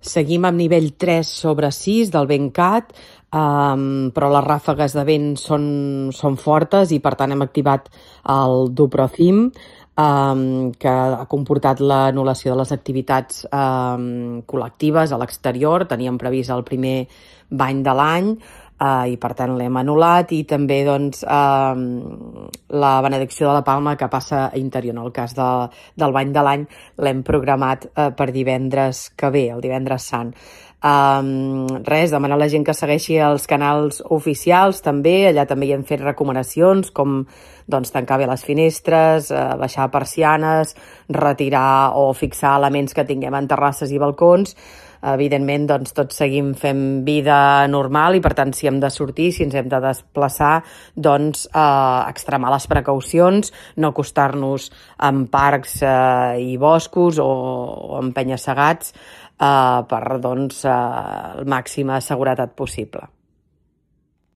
Seguim amb nivell 3/6 del VentCat, però les ràfegues de vent són fortes i per tant hem activat el Duprocim, que ha comportat l'anul·lació de les activitats col·lectives a l'exterior. Teníem previst el primer bany de l'any i per tant l'hem anul·lat, i també la benedicció de la Palma, que passa a interior. En el cas del bany de l'any l'hem programat per divendres que ve, el divendres sant. Demanar a la gent que segueixi els canals oficials també. Allà també hi hem fet recomanacions com tancar bé les finestres, baixar persianes, retirar o fixar elements que tinguem en terrasses i balcons. Evidentment, tots seguim fent vida normal i, per tant, si hem de sortir, si ens hem de desplaçar, extremar les precaucions, no acostar-nos en parcs i boscos o en penya-segats per màxima seguretat possible.